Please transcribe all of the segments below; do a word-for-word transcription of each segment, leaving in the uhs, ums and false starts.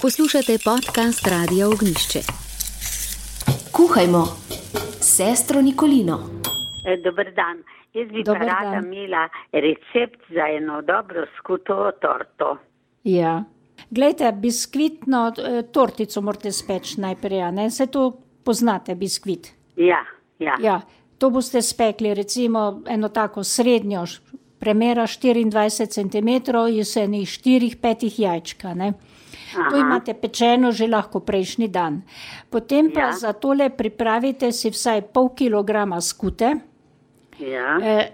Poslušate podcast Radia Ognjišče. Kuhajmo s sestro Nikolino. Dober dan. Jaz bi pa rada imela recept za eno dobro skuto torto. Ja. Glejte, biskvitno tortico morate speči najprej, a ne? Saj to poznate, biskvit. Ja, ja. Ja, to boste spekli, recimo eno tako srednjo, premera štiriindvajset centimetrov, iz enih štirih, petih jajčka, ne? Aha. To imate pečeno že lahko prejšnji dan. Potem pa ja. Za tole pripravite si vsaj pol kilograma skute. Ja. Eh,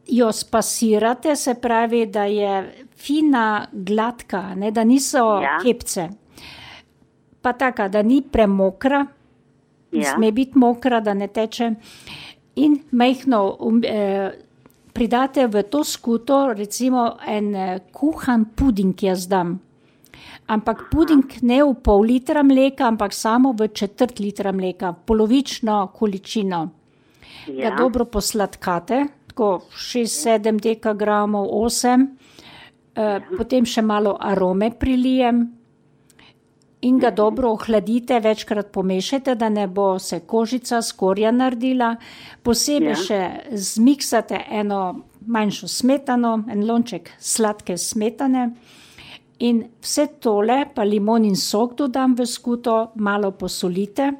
jo spasirate, se pravi, da je fina, gladka, ne, da niso ja. Kepce. Pa taka, da ni premokra, ja. Sme biti mokra, da ne teče. In majhno um, eh, pridate v to skuto, recimo en eh, kuhan puding jaz dam. Ampak puding ne v pol litra mleka, ampak samo v četrt litra mleka, polovično količino. Ja. Ga dobro posladkate, tako šest sedem dekagramov, osem, ja. e, potem še malo arome prilijem in ga dobro ohladite, večkrat pomešajte, da ne bo se kožica skorja naredila. Posebej ja. Še zmiksate eno manjšo smetano, en lonček sladke smetane. In vse tole, pa limonin sok dodam v skuto, malo posolite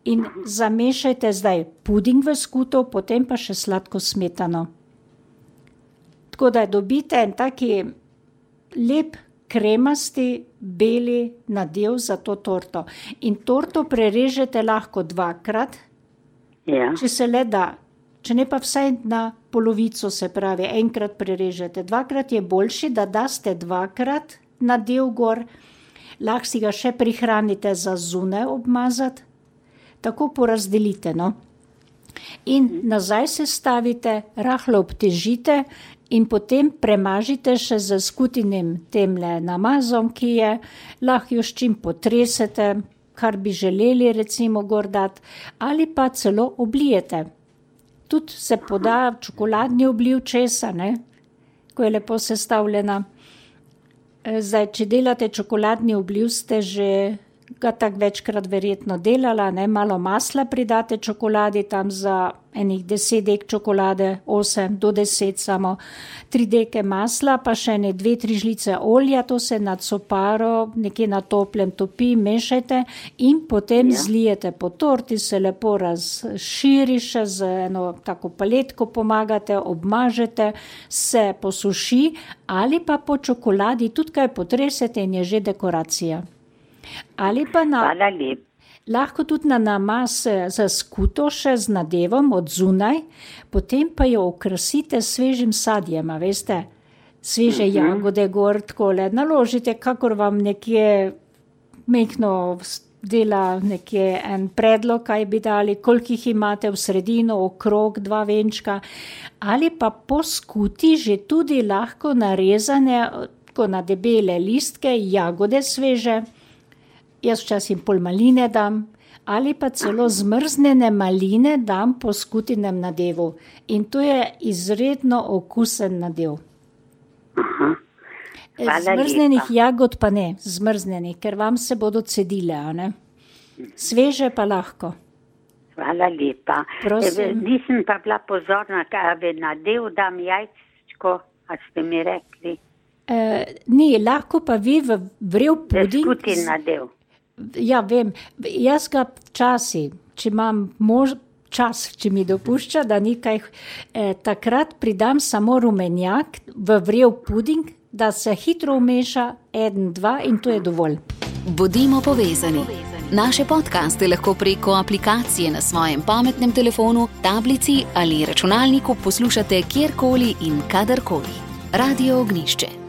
in zamešajte zdaj puding v skuto, potem pa še sladko smetano. Tako da dobite en taki lep, kremasti, beli nadev za to torto. In torto prerežete lahko dvakrat, ja. Če se le da. Če ne pa vsaj na polovico, se pravi, enkrat prerežete. Dvakrat je boljši, da daste dvakrat nadev gor, lahko si ga še prihranite za zunaj obmazati, tako porazdelite, no. In nazaj se stavite, rahlo obtežite in potem premažite še z skutinim temle namazom, ki je, lahko jo s čim potresete, kar bi želeli recimo gor dati, ali pa celo oblijete. Tudi se poda čokoladni obliv česa, ne? Ko je lepo sestavljena. Zdaj, če delate čokoladni obliv, ste že ga tak večkrat verjetno delala, ne? Malo masla pridate čokoladi, tam za enih deset dek čokolade, osem do deset samo, tri deke masla, pa še ne dve, tri žlice olja, to se nad soparo nekje na toplem topi, mešajte in potem ja. Zlijete po torti, se lepo razširi še z eno tako paletko pomagate, obmažete, se posuši ali pa po čokoladi tudi kaj potresete in je že dekoracija. Ali pa na... Hvala lepa. Lahko tudi na namaz za skuto še z nadevom od zunaj, potem pa jo okrasite s svežim sadjem, a veste, sveže uh-huh. jagode gor, takole, naložite, kakor vam nekje mehno dela nekje en predlog, kaj bi dali, koliko jih imate v sredino, okrog, dva venčka, ali pa po skuti že tudi lahko narezane, tako na debele listke, jagode sveže, jaz včasih pol maline dam, ali pa celo zmrznjene maline dam po skutinem nadevu. In to je izredno okusen nadev. Zmrznenih jagod pa ne, zmrznenih, ker vam se bodo cedile, a ne? Sveže pa lahko. Hvala lepa. Prosim. Nisem pa bila pozorna, kaj nadev dam jajčko, a ste mi rekli? E, ni, lahko pa vi v vrel puding. Skutin nadev. Ja, vem, jaz ga včasih, če imam mož, čas, če mi dopušča, da nekaj, eh, takrat pridam samo rumenjak v vrel puding, da se hitro umeša, en, dva in to je dovolj. Bodimo povezani. Naše podcaste lahko preko aplikacije na svojem pametnem telefonu, tablici ali računalniku poslušate kjerkoli in kadarkoli. Radio Ognjišče.